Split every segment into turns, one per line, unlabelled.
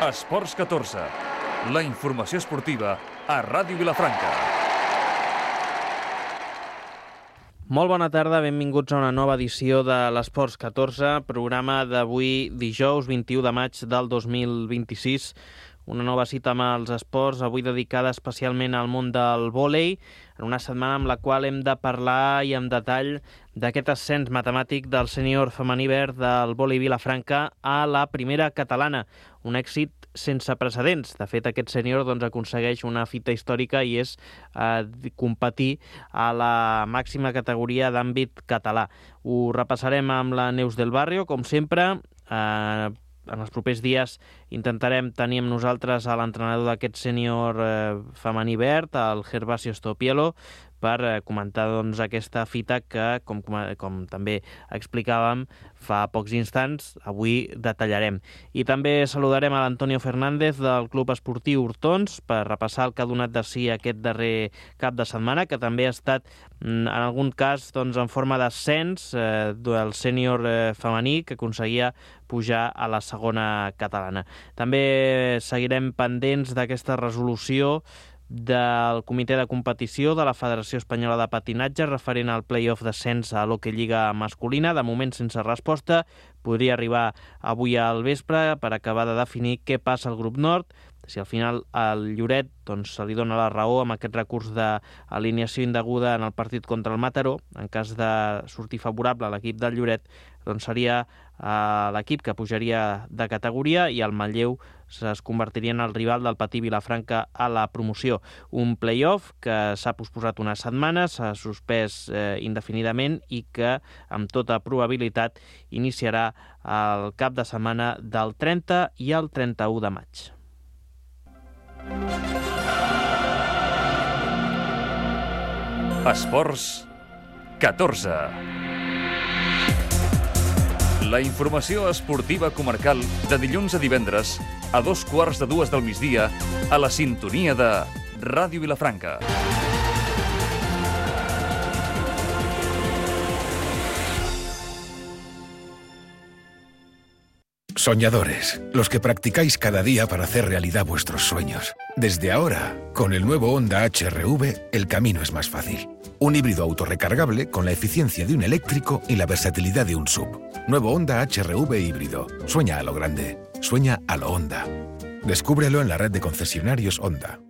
Esports 14, la informació esportiva a Ràdio Vilafranca.
Molt bona tarda, benvinguts a una nova edició de l'Esports 14, programa d'avui dijous 21 de maig del 2026. Una nova cita amb els esports, avui dedicada especialment al món del vòlei, en una setmana amb la qual hem de parlar i amb detall d'aquest ascens matemàtic del sènior femení verd del vòlei Vilafranca a la primera catalana. Un èxit sense precedents. De fet, aquest sènior aconsegueix una fita històrica i és competir a la màxima categoria d'àmbit català. Ho repassarem amb la Neus del Barrio, com sempre. En els propers dies intentarem tenir amb nosaltres a l'entrenador d'aquest sènior femení verd, el Gervasio Stopielo, per comentar aquesta fita que, com també explicàvem fa pocs instants, avui detallarem. I també saludarem a l'Antonio Fernández del Club Esportiu Hortons per repassar el que ha donat de si aquest darrer cap de setmana, que també ha estat, en algun cas, en forma d'ascens del sènior femení que aconseguia pujar a la segona catalana. També seguirem pendents d'aquesta resolució del comitè de competició de la Federació Espanyola de Patinatge referent al play-off d'ascens a l'Hockey Lliga masculina, de moment sense resposta. Podria arribar avui al vespre per acabar de definir què passa al grup nord, si al final al Lloret se li dona la raó amb aquest recurs d'alineació indeguda en el partit contra el Mataró. En cas de sortir favorable a l'equip del Lloret, seria l'equip que pujaria de categoria i el Manlleu es convertiria en el rival del Patí Vilafranca a la promoció. Un play-off que s'ha posposat unes setmanes, s'ha suspès indefinidament i que, amb tota probabilitat, iniciarà el cap de setmana del 30 i el 31 de maig.
Esports 14. La informació esportiva comarcal de dilluns a divendres a 2:15 del migdia a la sintonia de Ràdio Vilafranca.
Soñadores, los que practicáis cada día para hacer realidad vuestros sueños. Desde ahora, con el nuevo Honda HR-V, el camino es más fácil. Un híbrido autorrecargable con la eficiencia de un eléctrico y la versatilidad de un SUV. Nuevo Honda HR-V híbrido. Sueña a lo grande. Sueña a lo Honda. Descúbrelo en la red de concesionarios Honda.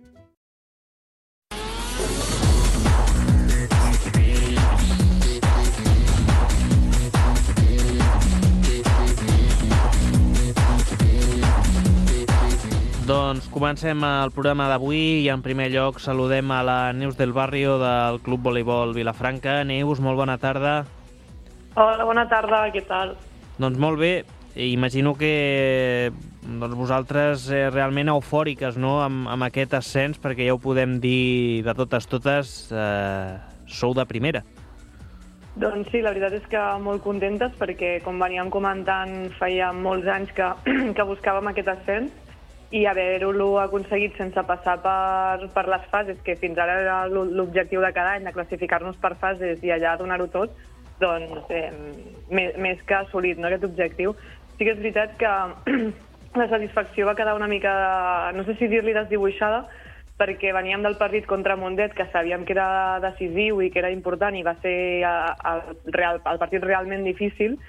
Doncs comencem el programa d'avui i en primer lloc saludem a la Neus del Barrio del Club Voleibol Vilafranca. Neus, molt bona tarda.
Hola, bona tarda, què tal?
Doncs molt bé, imagino que vosaltres realment eufòriques, no?, amb aquest ascens, perquè ja ho podem dir de totes, sou de primera.
Doncs sí, la veritat és que molt contentes perquè, com veníem comentant, feia molts anys que buscàvem aquest ascens i haver-ho aconseguit sense passar per les fases, que fins ara era l'objectiu de cada any, de classificar-nos per fases i allà donar-ho tot, doncs més que assolit, no, aquest objectiu. Sí que és veritat que la satisfacció va quedar una mica, no sé si dir-li desdibuixada, perquè veníem del partit contra Mundet, que sabíem que era decisiu i que era important i va ser el partit realment difícil,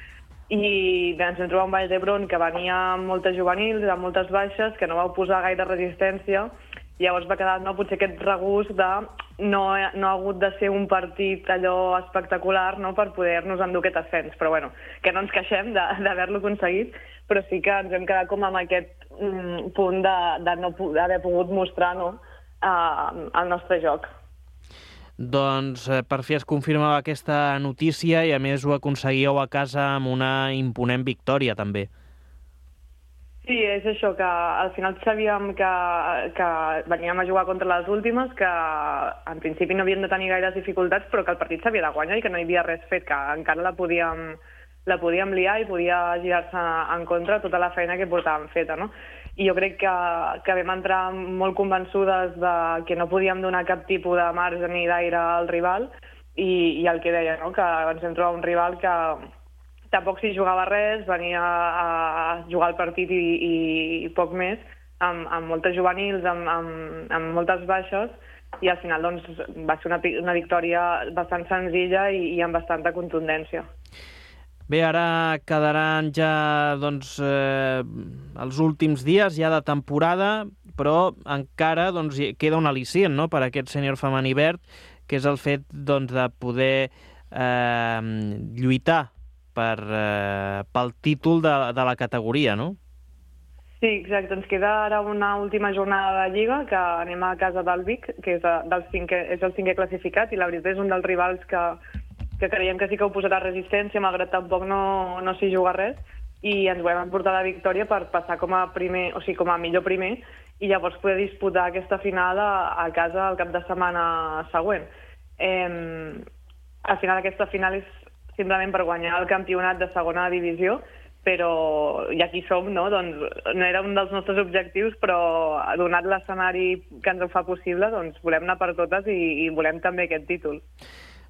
i ens vam trobar un Vall d'Hebron que venia amb moltes juvenils, amb moltes baixes, que no vau posar gaire resistència. Llavors va quedar potser aquest regust de no ha hagut de ser un partit allò espectacular, no, per poder-nos endur aquest ascens. Però bueno, que no ens queixem d'haver-lo aconseguit, però sí que ens hem quedat com amb aquest punt de no haver pogut mostrar, no, el nostre joc.
Doncs per fi es confirmava aquesta notícia i a més ho aconseguíeu a casa amb una imponent victòria també.
Sí, és això, que al final sabíem que veníem a jugar contra les últimes, que en principi no havíem de tenir gaires dificultats, però que el partit s'havia de guanyar i que no hi havia res fet, que encara la podíem liar i podia girar-se en contra tota la feina que portàvem feta, no? I jo crec que vam entrar molt convençudes que no podíem donar cap tipus de marge ni d'aire al rival i el que deia, no? Que ens hem trobat un rival tampoc s'hi jugava res, venia a jugar el partit i poc més, amb moltes juvenils, amb moltes baixes, i al final doncs, va ser una victòria bastant senzilla i amb bastanta contundència.
Bé, ara quedaran ja doncs, els últims dies ja de temporada, però encara doncs, queda un al·licient, no?, per a aquest sènior femení verd, que és el fet doncs, de poder lluitar pel títol de la categoria, no?
Sí, exacte. Ens queda ara una última jornada de Lliga, que anem a casa del Vic, que és el cinquè classificat, i la veritat és un dels rivals que creiem que sí que ho posarà resistència, malgrat tampoc no s'hi juga res, i ens volem emportar la victòria per passar com a primer, o sigui, com a millor primer, i llavors poder disputar aquesta final a casa el cap de setmana següent. Al final aquesta final és simplement per guanyar el campionat de segona divisió, però ja aquí som, no? Doncs no era un dels nostres objectius, però donat l'escenari que ens ho fa possible, doncs volem anar per totes i volem també aquest títol.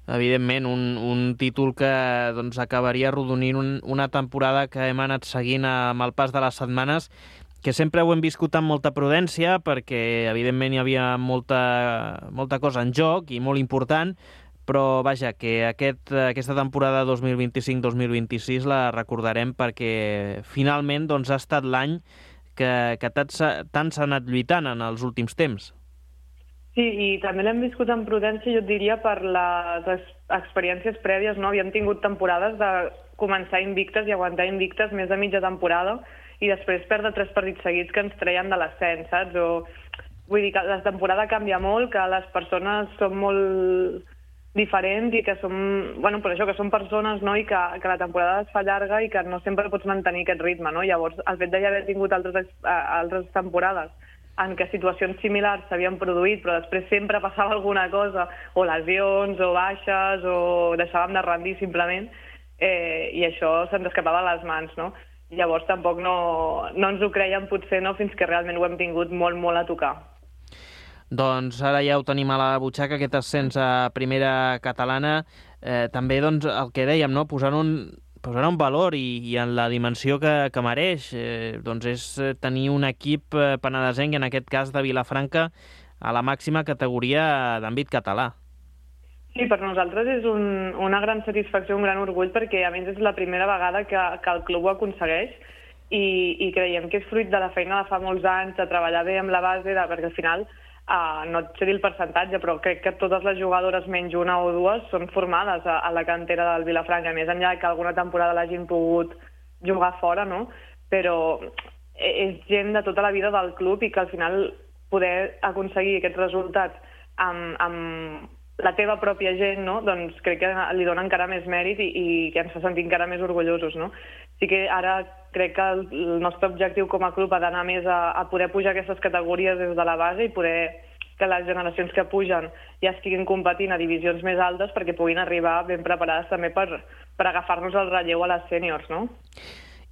Evidentment, un títol que doncs, acabaria arrodonint una temporada que hem anat seguint amb el pas de les setmanes, que sempre ho hem viscut amb molta prudència, perquè evidentment hi havia molta cosa en joc i molt important, però vaja, que aquesta temporada 2025-2026 la recordarem perquè finalment doncs, ha estat l'any que tant s'ha anat lluitant en els últims temps.
Sí, i també l'hem viscut amb prudència, jo et diria, per les experiències prèvies, no? Havíem tingut temporades de començar invictes i aguantar invictes més de mitja temporada i després perdre 3 partits seguits que ens treien de l'ascens, saps? Vull dir que la temporada canvia molt, que les persones són molt diferents i que som, bueno, per això, que som persones, no? I que la temporada es fa llarga i que no sempre pots mantenir aquest ritme, no? Llavors, el fet d'haver tingut altres temporades en què situacions similars s'havien produït, però després sempre passava alguna cosa, o lesions, o baixes, o deixàvem de rendir simplement, i això se'ns escapava a les mans, no? Llavors tampoc no ens ho creiem potser, no?, fins que realment ho hem tingut molt, molt a tocar.
Doncs ara ja ho tenim a la butxaca, aquest ascens a primera catalana. També doncs, el que dèiem, no?, posar un valor i en la dimensió que mereix, doncs és tenir un equip penedesenc, en aquest cas de Vilafranca, a la màxima categoria d'àmbit català.
Sí, per nosaltres és una gran satisfacció, un gran orgull, perquè a més és la primera vegada que el club ho aconsegueix i creiem que és fruit de la feina de fa molts anys, de treballar bé amb la base, perquè al final no et sé dir el percentatge, però crec que totes les jugadores, menys una o dues, són formades a la cantera del Vilafranca, més enllà que alguna temporada l'hagin pogut jugar fora, no? Però és gent de tota la vida del club i que al final poder aconseguir aquests resultats amb la teva pròpia gent, no? Doncs crec que li dona encara més mèrit i que ens fa sentir encara més orgullosos, no? Sí que ara crec que el nostre objectiu com a club ha d'anar més a poder pujar aquestes categories des de la base i poder que les generacions que pugen ja estiguin competint a divisions més altes perquè puguin arribar ben preparades també per agafar-nos el relleu a les sèniors, no?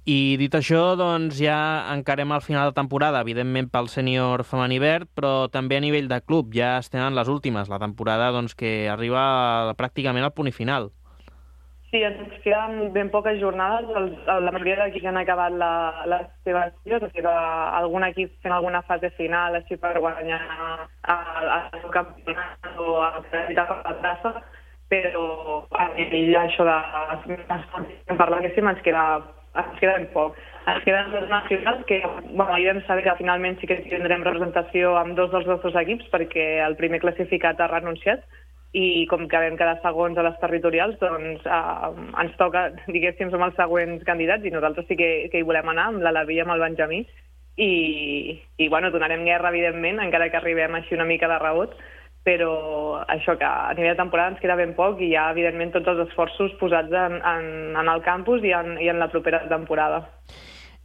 I dit això, doncs ja encarem al final de temporada, evidentment pel sènior femení verd, però també a nivell de club, ja estem en les últimes, la temporada doncs, que arriba pràcticament al punt i final.
Sí, ens queden ben poques jornades. La majoria d'equips han acabat les seves lligues, o sigui, algun equip fent alguna fase final així per guanyar el seu campionat o acreditar per la traça, però a nivell això de parlar que sí, ens queda ben poc. Ens queden les nacionals que ahir vam saber que finalment sí que tindrem representació amb dos dels nostres equips perquè el primer classificat ha renunciat i com que vam quedar segons a les territorials, doncs ens toca, diguéssim, som els següents candidats i nosaltres sí que hi volem anar amb l'Alaví i amb el Benjamí i bueno, donarem guerra, evidentment, encara que arribem així una mica de rebot, però això que a nivell de temporada ens queda ben poc i hi ha, evidentment, tots els esforços posats en el campus i en la propera temporada.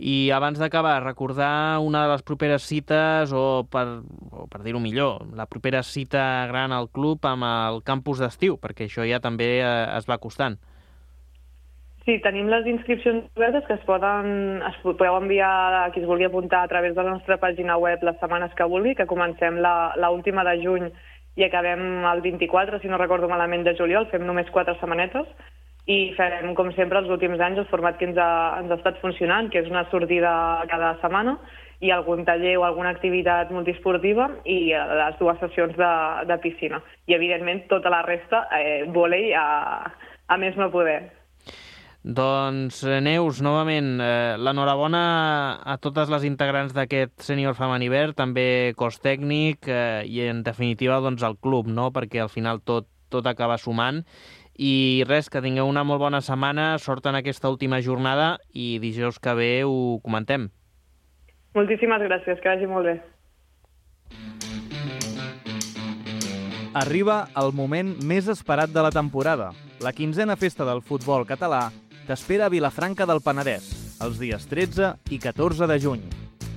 I abans d'acabar, recordar una de les properes cites, o per dir-ho millor, la propera cita gran al club amb el campus d'estiu, perquè això ja també es va costant.
Sí, tenim les inscripcions obertes que es podeu enviar a qui es vulgui apuntar a través de la nostra pàgina web les setmanes que vulgui, que comencem l'última de juny i acabem el 24, si no recordo malament, de juliol, fem només 4 setmanetes. i farem, com sempre, els últims anys el format que ens ha estat funcionant, que és una sortida cada setmana i algun taller o alguna activitat multiesportiva i les 2 sessions de piscina. I, evidentment, tota la resta, vòlei a més no poder.
Doncs, Neus, novament, l'enhorabona a totes les integrants d'aquest sènior femení verd, també cos tècnic i, en definitiva, doncs, el club, no? Perquè al final tot acaba sumant. I res, que tingueu una molt bona setmana, sort en aquesta última jornada i dijous que ve ho comentem.
Moltíssimes gràcies, que vagi molt bé.
Arriba el moment més esperat de la temporada, la 15a festa del futbol català t'espera a Vilafranca del Penedès, els dies 13 i 14 de juny.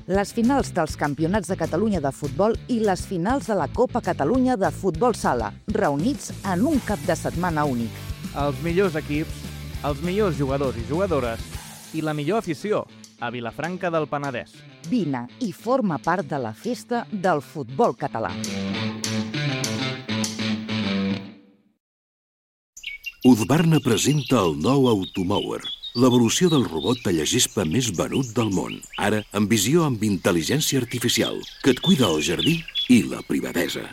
Les finals dels Campionats de Catalunya de futbol i les finals de la Copa Catalunya de futbol sala, reunits en un cap de setmana únic.
Els millors equips, els millors jugadors i jugadores i la millor afició a Vilafranca del Penedès.
Vine i forma part de la festa del futbol català.
Husqvarna presenta el nou Automower, l'evolució del robot tallagespa més venut del món, ara amb visió amb intel·ligència artificial, que et cuida el jardí i la privadesa.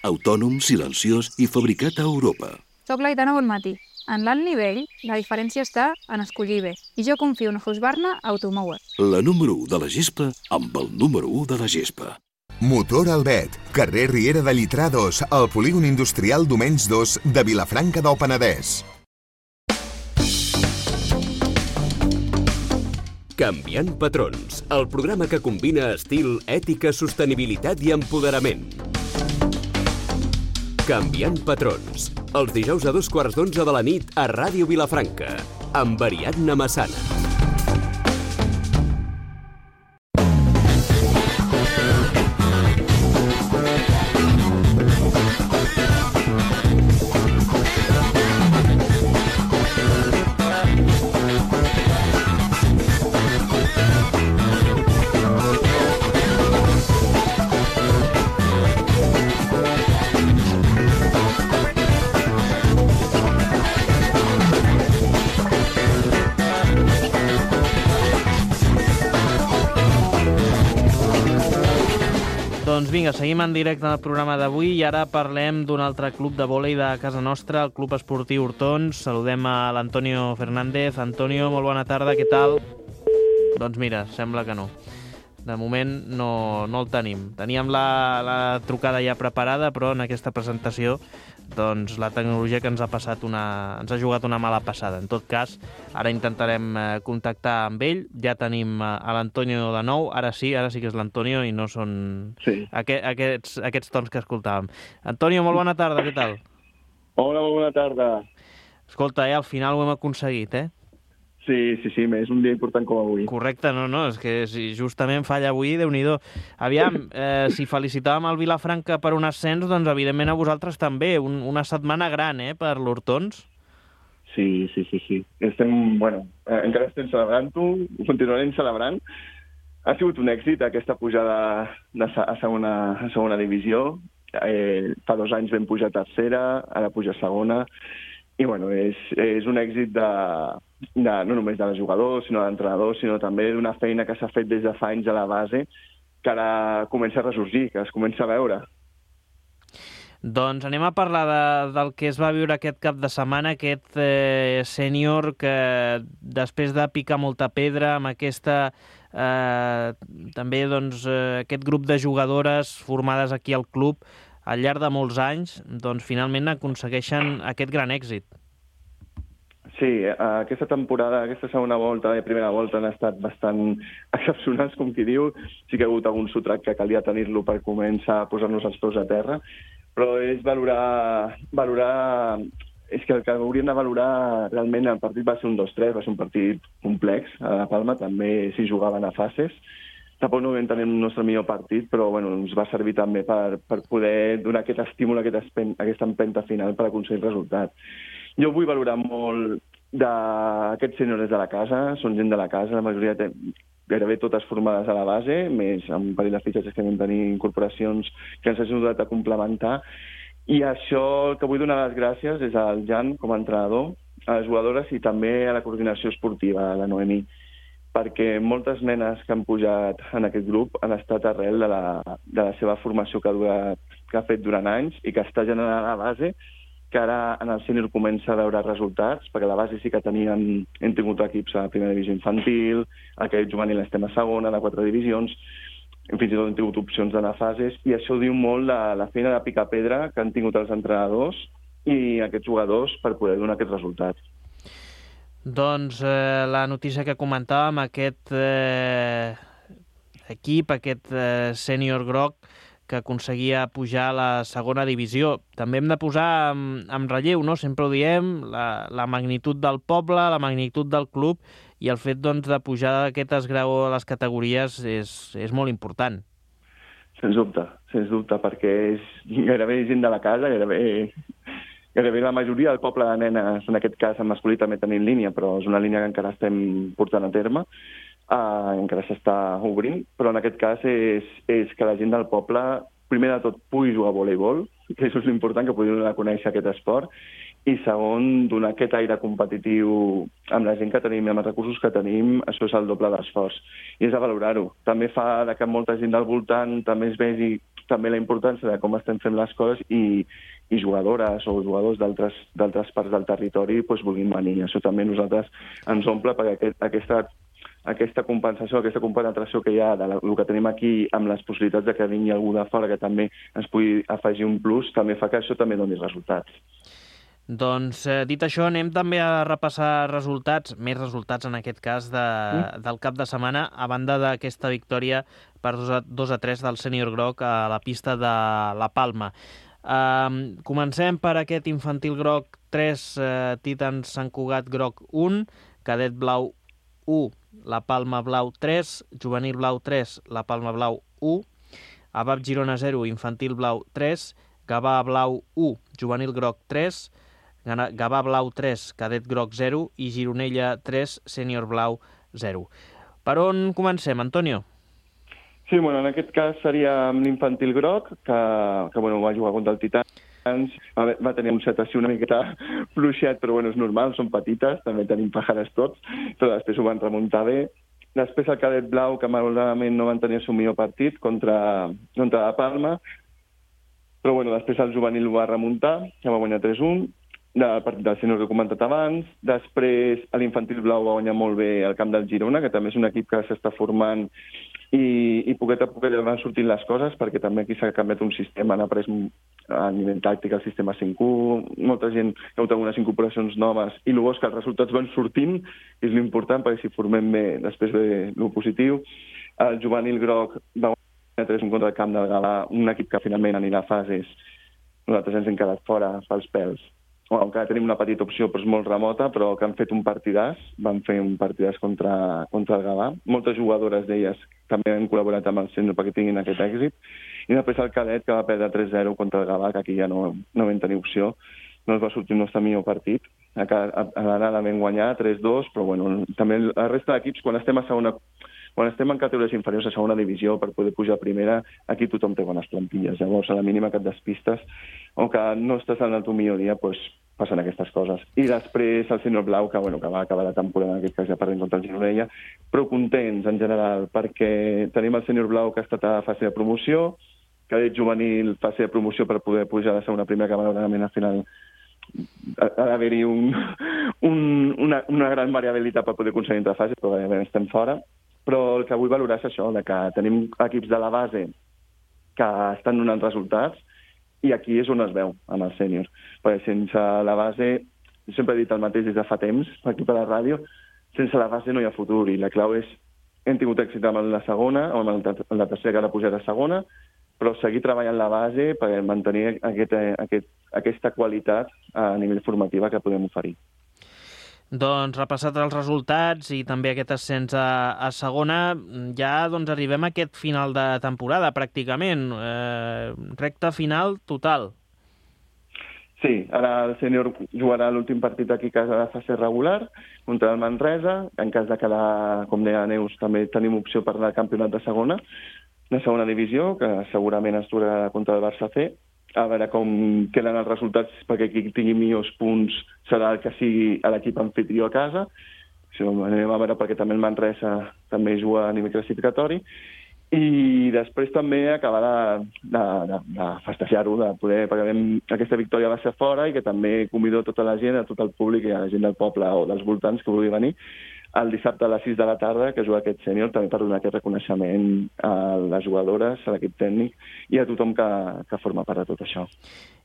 Autònom, silenciós i fabricat a Europa.
Soc l'Aitana Bonmatí. En l'alt nivell, la diferència està en escollir bé, i jo confio en Husqvarna Automower.
La número 1 de la gespa amb el número 1 de la gespa.
Motor Albet, carrer Riera de Llitrà 2, al polígon industrial Domenys 2 de Vilafranca del Penedès.
Canviant patrons, el programa que combina estil, ètica, sostenibilitat i empoderament. Canviant patrons, els dijous a 11:15 de la nit a Ràdio Vilafranca, amb Ariadna Massana.
Doncs vinga, seguim en directe al programa d'avui i ara parlem d'un altre club de vòlei de casa nostra, el Club Esportiu Hortons. Saludem a l'Antonio Fernández. Antonio, molt bona tarda, què tal? Doncs mira, sembla que no. De moment no el tenim. Teníem la trucada ja preparada, però en aquesta presentació doncs la tecnologia que ens ha jugat una mala passada. En tot cas, ara intentarem contactar amb ell. Ja tenim a l'Antonio de nou. Ara sí que és l'Antonio i no són aquests tons que escoltàvem. Antonio, molt bona tarda, què tal?
Hola, molt bona tarda.
Escolta, al final ho hem aconseguit, eh?
Sí, és un dia important com avui.
Correcte, no, és que si justament falla avui, Déu-n'hi-do. Aviam, si felicitàvem el Vilafranca per un ascens, doncs evidentment a vosaltres també. Una setmana gran, per l'Hortons.
Sí. Estem, encara estem celebrant-ho, ho continuarem celebrant. Ha sigut un èxit aquesta pujada a segona divisió. Fa 2 anys vam pujar a tercera, ara puja a segona. I és un èxit no només de jugadors, sinó d'entrenadors, sinó també d'una feina que s'ha fet des de fa anys a la base, que ara comença a ressorgir, que es comença a veure.
Doncs anem a parlar del que es va viure aquest cap de setmana, aquest sènior que després de picar molta pedra amb aquesta també aquest grup de jugadores formades aquí al club al llarg de molts anys, doncs finalment aconsegueixen aquest gran èxit.
Sí, aquesta temporada, aquesta segona volta i primera volta han estat bastant excepcionals, com qui diu. Sí que ha hagut algun sotrac que calia tenir-lo per començar a posar-nos els peus a terra, però és valorar... És que el que hauríem de valorar realment el partit va ser un 2-3, va ser un partit complex a la Palma, també s'hi jugaven a fases. Tampoc no vam tenir el nostre millor partit, però ens va servir també per poder donar aquest estímul, aquesta empenta final per aconseguir el resultat. Jo vull valorar molt d'aquests sèniors de la casa, són gent de la casa, la majoria gairebé totes formades a la base, més amb un parell de fitxatges que vam tenir incorporacions que ens hagin ajudat a complementar. I això, el que vull donar les gràcies és al Jan, com a entrenador, les jugadores i també a la coordinació esportiva, a la Noemí, perquè moltes nenes que han pujat en aquest grup han estat arrel de la seva formació que ha fet durant anys i que està generant la base, que ara en el sènior comença a veure resultats, perquè la base sí que hem tingut equips a primera divisió infantil, aquest juvenil estem a segona, de 4 divisions, fins i tot hem tingut opcions d'anar a fases, i això diu molt de la feina de picar pedra que han tingut els entrenadors i aquests jugadors per poder donar aquests resultats.
Doncs la notícia que comentàvem, aquest equip, aquest sènior groc que aconseguia pujar a la segona divisió. També hem de posar en relleu, no? Sempre ho diem, la magnitud del poble, la magnitud del club i el fet doncs, de pujar aquest esgraó a les categories és molt important.
Sens dubte, perquè és gairebé gent de la casa, gairebé la majoria del poble de nenes, en aquest cas en masculí també tenim línia, però és una línia que encara estem portant a terme, encara s'està obrint, però en aquest cas és que la gent del poble, primer de tot, pugui jugar a voleibol, que això és l'important, que pugui donar a conèixer aquest esport, i segon, donar aquest aire competitiu amb la gent que tenim i amb els recursos que tenim, això és el doble d'esforç. I és a valorar-ho. També fa que molta gent del voltant també es vegi també la importància de com estem fent les coses i jugadores o jugadors d'altres parts del territori vulguin venir. Això també nosaltres ens omple perquè aquesta compensació, aquesta compenetració que hi ha del que tenim aquí amb les possibilitats de que vingui algú de fora que també ens pugui afegir un plus, també fa que això també doni resultats.
Doncs, dit això, anem també a repassar resultats, més resultats en aquest cas del cap de setmana, a banda d'aquesta victòria per 2-3 del sènior groc a la pista de la Palma. Comencem per aquest infantil groc 3, Titans Sant Cugat groc 1, cadet blau 1, la Palma blau 3, juvenil blau 3, la Palma blau 1, Abab Girona 0, infantil blau 3, Gavà blau 1, juvenil groc 3, Gavà blau 3, cadet groc 0 i Gironella 3, sènior blau 0. Per on comencem, Antonio?
Sí, en aquest cas seria l'infantil groc, que va jugar contra el Titans, va tenir un set així una miqueta fluixet, però és normal, són petites, també tenim pajares tots, però després ho van remuntar bé. Després el cadet blau, que malauradament no van tenir el seu millor partit contra la Palma, però després el juvenil ho va remuntar, que va guanyar 3-1, del partit del sènior que he comentat abans. Després l'infantil blau va guanyar molt bé el camp del Girona, que també és un equip que s'està formant i poquet a poquet van sortint les coses, perquè també aquí s'ha canviat un sistema, han après a nivell tàctic el sistema 5-1, molta gent ha hagut algunes incorporacions noves, i el bo és que els resultats van sortint, és l'important, perquè si formem bé, després ve el positiu. El juvenil groc va guanyar 3-1 contra el camp del Gavà, un equip que finalment anirà a fases. Nosaltres ens hem quedat fora pels pèls. Encara tenim una petita opció, però és molt remota, però que han fet un partidàs, van fer un partidàs contra el Gavà. Moltes jugadores d'elles també han col·laborat amb el sènior perquè tinguin aquest èxit. I després el cadet, que va perdre 3-0 contra el Gavà, que aquí ja no vam tenir opció. No es va sortir el nostre millor partit. A l'anada vam guanyar 3-2, però també la resta d'equips, quan estem en categories inferiors a segona divisió per poder pujar a primera, aquí tothom té bones plantilles. Llavors, a la mínima que et despistes o que no estàs en el teu millor dia, passen aquestes coses. I després el sènior blau, que va acabar la temporada, en aquest cas ja perdent contra el Gironella, però contents en general, perquè tenim el sènior blau que ha estat a fase de promoció, cadet juvenil fase de promoció per poder pujar a la segona primera, que malauradament al final ha d'haver-hi una gran variabilitat per poder aconseguir entre fases, però estem fora. Però el que vull valorar és això, que tenim equips de la base que estan donant resultats, i aquí és on es veu, amb el sènior. Perquè sense la base, jo sempre he dit el mateix des de fa temps, aquí per la ràdio, sense la base no hi ha futur, i la clau és, hem tingut èxit amb la segona, o amb la tercera, que ara pujarà a segona, però seguir treballant la base per mantenir aquesta qualitat a nivell formativa que podem oferir.
Doncs repassat els resultats i també aquest ascens a segona, ja arribem a aquest final de temporada, pràcticament. Recta final total.
Sí, ara el sènior jugarà l'últim partit aquí a casa de fase regular contra el Manresa. En cas de quedar, com deia Neus, també tenim opció per anar al campionat de segona divisió, que segurament es durarà contra el Barça C. a veure com queden els resultats, perquè qui tingui millors punts serà el que sigui l'equip anfitrió a casa. Això anem a veure, perquè també el Manresa també juga a nivell classificatori. I després també acabar de festejar-ho, de poder, perquè aquesta victòria va ser fora i que també convido tota la gent, a tot el públic i a la gent del poble o dels voltants que vulgui venir el dissabte a les 6 de la tarda, que juga aquest sènior, també per donar aquest reconeixement a les jugadores, a l'equip tècnic i a tothom que forma part de tot això.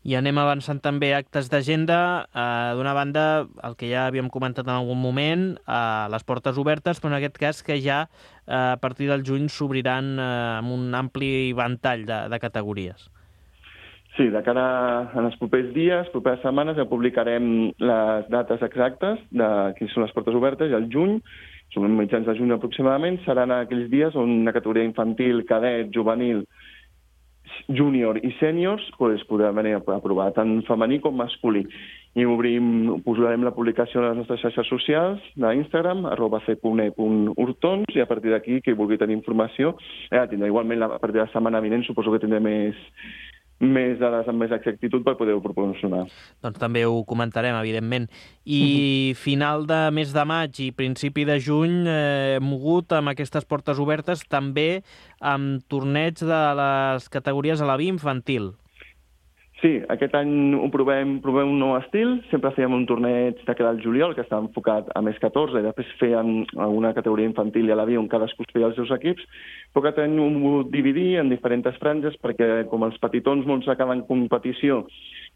I anem avançant també actes d'agenda. D'una banda, el que ja havíem comentat en algun moment, les portes obertes, però en aquest cas que ja a partir del juny s'obriran amb un ampli ventall de categories.
Sí, de cara als propers dies, properes setmanes, ja publicarem les dates exactes de quines són les portes obertes, i al juny, són mitjans de juny aproximadament, seran aquells dies on una categoria infantil, cadet, juvenil, júnior i sèniors podran venir a provar tant femení com masculí. I posarem la publicació a les nostres xarxes socials d'Instagram, @c.e.urtons, i a partir d'aquí, qui vulgui tenir informació, tindrà igualment a partir de la setmana vinent, suposo que tindré més dades amb més exactitud per poder-ho proporcionar.
Doncs també ho comentarem, evidentment. I final de mes de maig i principi de juny mogut amb aquestes portes obertes també amb torneig de les categories a la B infantil.
Sí, aquest any ho provem un nou estil. Sempre fèiem un torneig de cada al juliol, que estava enfocat a més 14, i després fèiem una categoria infantil i a la B on cadascú es feia els seus equips. Però aquest any ho hem volgut dividir en diferents franges, perquè com els petitons molts acaben competició,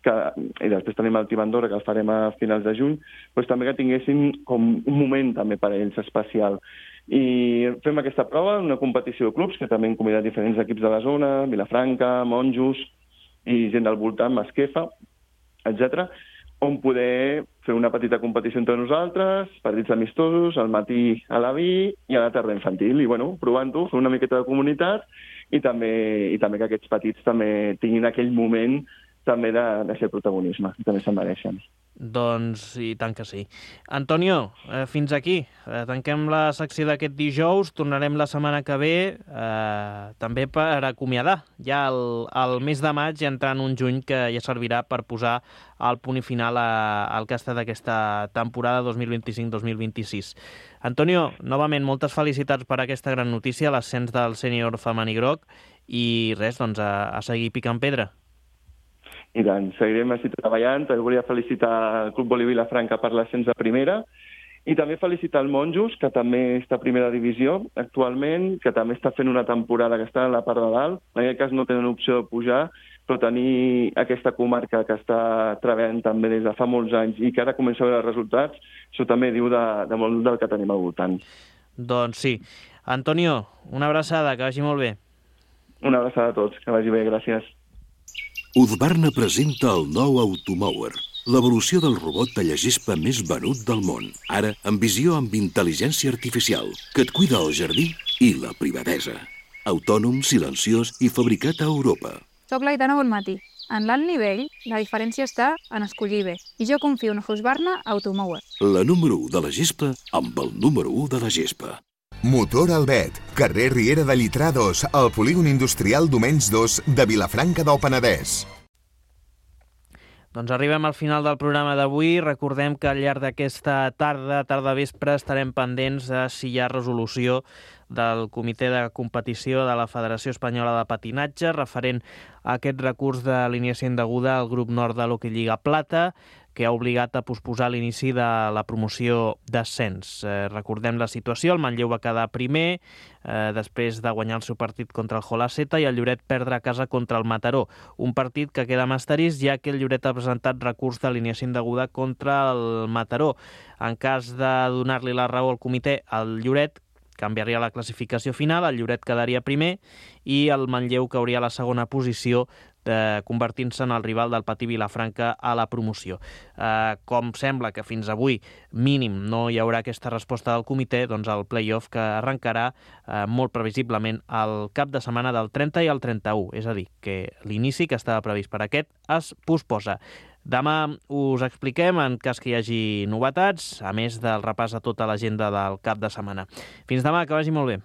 i després tenim el Tibandora, que el farem a finals de juny, doncs també que tinguessin com un moment també per a ells especial. I fem aquesta prova, una competició de clubs, que també hem convidat diferents equips de la zona, Vilafranca, Monjos, i gent del voltant, Masquefa, etc., on poder fer una petita competició entre nosaltres, partits amistosos, al matí a la B i a la tarda infantil. I, provant-ho, fer una miqueta de comunitat i també que aquests petits també tinguin aquell moment també de ser protagonisme, que també se'n mereixen.
Doncs i tant que sí. Antonio, fins aquí. Tanquem la secció d'aquest dijous, tornarem la setmana que ve també per acomiadar ja el mes de maig i entrar en un juny que ja servirà per posar el punt i final al que ha estat aquesta temporada 2025-2026. Antonio, novament, moltes felicitats per aquesta gran notícia, l'ascens del sènior femení groc, i res, doncs a seguir picant pedra.
I tant, seguirem així treballant. També volia felicitar el Club Boli Vilafranca per l'ascens a primera i també felicitar el Monjos, que també està a primera divisió actualment, que també està fent una temporada que està a la part de dalt. En aquest cas no tenen opció de pujar, però tenir aquesta comarca que està treballant també des de fa molts anys i que ara comença a veure els resultats, això també diu de molt del que tenim al voltant.
Doncs sí. Antonio, una abraçada, que vagi molt bé.
Una abraçada a tots, que vagi bé, gràcies.
Husqvarna presenta el nou Automower, l'evolució del robot tallagespa més venut del món. Ara, amb visió amb intel·ligència artificial, que et cuida el jardí i la privadesa. Autònom, silenciós i fabricat a Europa.
Soc l'Aitana Bonmatí. En l'alt nivell, la diferència està en escollir bé. I jo confio en Husqvarna Automower.
La número 1 de la gespa amb el número 1 de la gespa.
Motor Albet, carrer Riera de Llitrà 2, al polígon industrial Domens 2 de Vilafranca del Penedès.
Doncs arribem al final del programa d'avui. Recordem que al llarg d'aquesta tarda vespre, estarem pendents de si hi ha resolució del Comitè de Competició de la Federació Espanyola de Patinatge referent a aquest recurs d'alineació indeguda al grup nord de l'Hockey Lliga Plata, que ha obligat a posposar l'inici de la promoció d'ascens. Recordem la situació, el Manlleu va quedar primer, després de guanyar el seu partit contra el Jolaceta, i el Lloret perdre a casa contra el Mataró. Un partit que queda amb asterisc, ja que el Lloret ha presentat recurs d'alineació indeguda contra el Mataró. En cas de donar-li la raó al comitè, el Lloret canviaria la classificació final, el Lloret quedaria primer i el Manlleu cauria a la segona posició, convertint-se en el rival del Patí Vilafranca a la promoció. Com sembla que fins avui mínim no hi haurà aquesta resposta del comitè, doncs el play-off que arrencarà molt previsiblement el cap de setmana del 30 i el 31, és a dir, que l'inici que estava previst per aquest es posposa. Demà us expliquem en cas que hi hagi novetats, a més del repàs a tota l'agenda del cap de setmana. Fins demà, que vagi molt bé.